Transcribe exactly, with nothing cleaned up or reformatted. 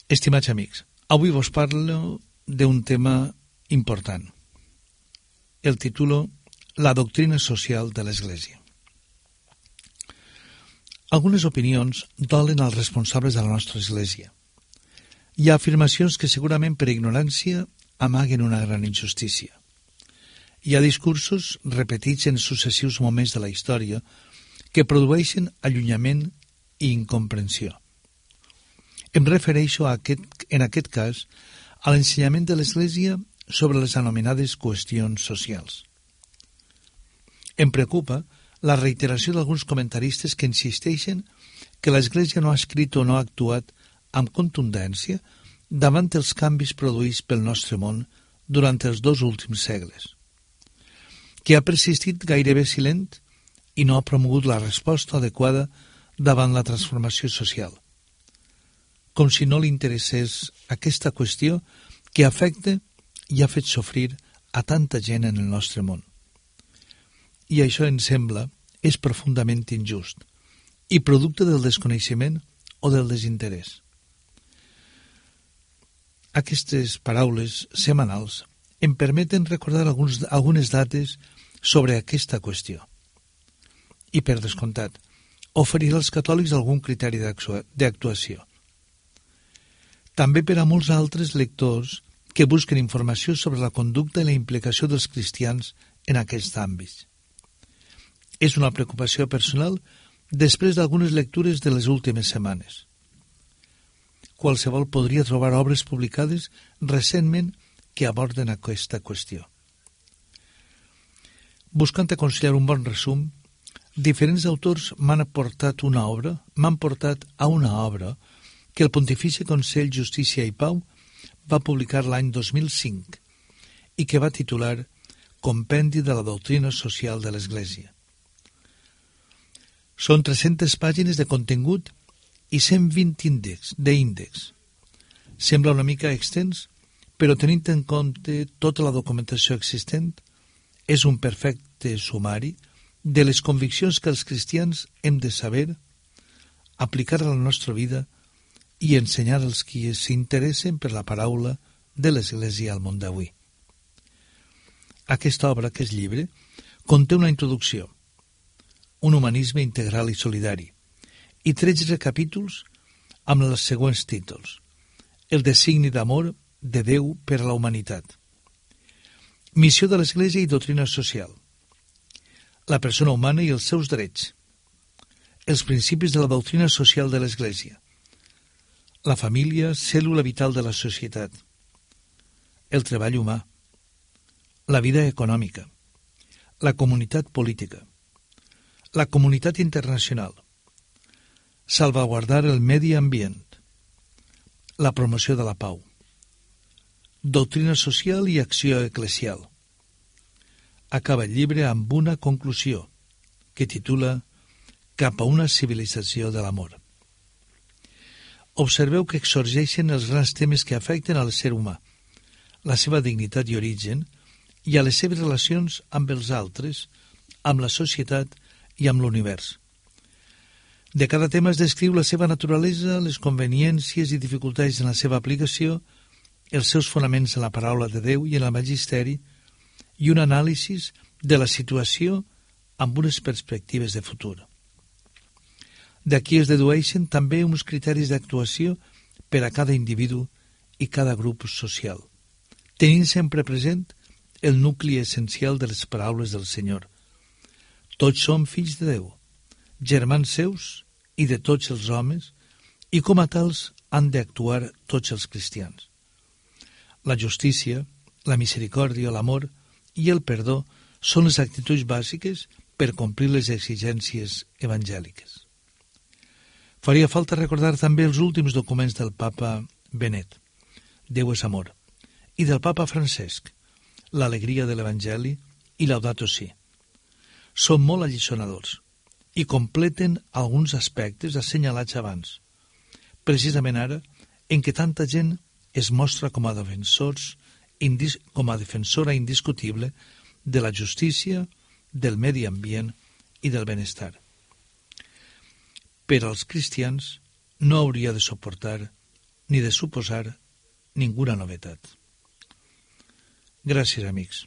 Estimats amics, avui vos parlo d'un tema important. El titulo La doctrina social de l'Església. Algunes opinions dolen als responsables de la nostra Església. Hi ha afirmacions que segurament per ignorància amaguen una gran injustícia. Hi ha discursos repetits en successius moments de la història que produeixen allunyament i incomprensió. Em refereixo a aquest, en aquest cas a l'ensenyament de l'Església sobre les anomenades qüestions socials. Em preocupa la reiteració d'alguns comentaristes que insisteixen que l'Església no ha escrit o no ha actuat amb contundència davant els canvis produïts pel nostre món durant els dos últims segles, que ha persistit gairebé silent i no ha promogut la resposta adequada davant la transformació social, com si no li interessés aquesta qüestió que afecta i ha fet sofrir a tanta gent en el nostre món. I això, em sembla, és profundament injust i producte del desconeixement o del desinterès. Aquestes paraules setmanals em permeten recordar alguns, algunes dates sobre aquesta qüestió. I, per descomptat, oferir als catòlics algun criteri d'actuació. També per a molts altres lectors que busquen informació sobre la conducta i la implicació dels cristians en aquests àmbits. És una preocupació personal després d'algunes lectures de les últimes setmanes. Qualsevol podria trobar obres publicades recentment que aborden aquesta qüestió. Buscant aconsellar un bon resum, diferents autors m'han aportat una obra, m'han portat a una obra que el Pontifici Consell Justícia i Pau va publicar l'any dos mil cinc i que va titular Compendi de la doctrina social de l'Església. Són tres-centes pàgines de contingut i cent vint índexs, d'índex. Sembla una mica extens, però tenint en compte tota la documentació existent, és un perfecte sumari de les conviccions que els cristians hem de saber, aplicar a la nostra vida i ensenyar als qui s'interessen per la paraula de l'Església al món d'avui. Aquesta obra, aquest llibre, conté una introducció, un humanisme integral i solidari, i tretze capítols amb els següents títols: el designi d'amor de Déu per a la humanitat, missió de l'Església i doctrina social, la persona humana i els seus drets, els principis de la doctrina social de l'Església, la família, cèl·lula vital de la societat, el treball humà, la vida econòmica, la comunitat política, la comunitat internacional, salvaguardar el medi ambient, la promoció de la pau, doctrina social i acció eclesial. Acaba el llibre amb una conclusió que titula Cap a una civilització de l'amor. Observeu que exorgeixen els grans temes que afecten al ser humà, la seva dignitat i origen, i a les seves relacions amb els altres, amb la societat i amb l'univers. De cada tema es descriu la seva naturalesa, les conveniències i dificultats en la seva aplicació, els seus fonaments en la paraula de Déu i en el magisteri, i un anàlisi de la situació amb unes perspectives de futur. D'aquí es dedueixen també uns criteris d'actuació per a cada individu i cada grup social, tenint sempre present el nucli essencial de les paraules del Senyor. Tots som fills de Déu, germans seus i de tots els homes, i com a tals han d'actuar tots els cristians. La justícia, la misericòrdia, l'amor i el perdó són les actituds bàsiques per complir les exigències evangèliques. Faria falta recordar també els últims documents del papa Benet, Déu és amor, i del papa Francesc, l'alegria de l'Evangeli i Laudato Si. Són molt alliçonadors i completen alguns aspectes assenyalats abans, precisament ara en què tanta gent es mostra com a defensors, com a defensora indiscutible de la justícia, del medi ambient i del benestar. Per als cristians no hauria de suportar ni de suposar ninguna novetat. Gràcies, amics.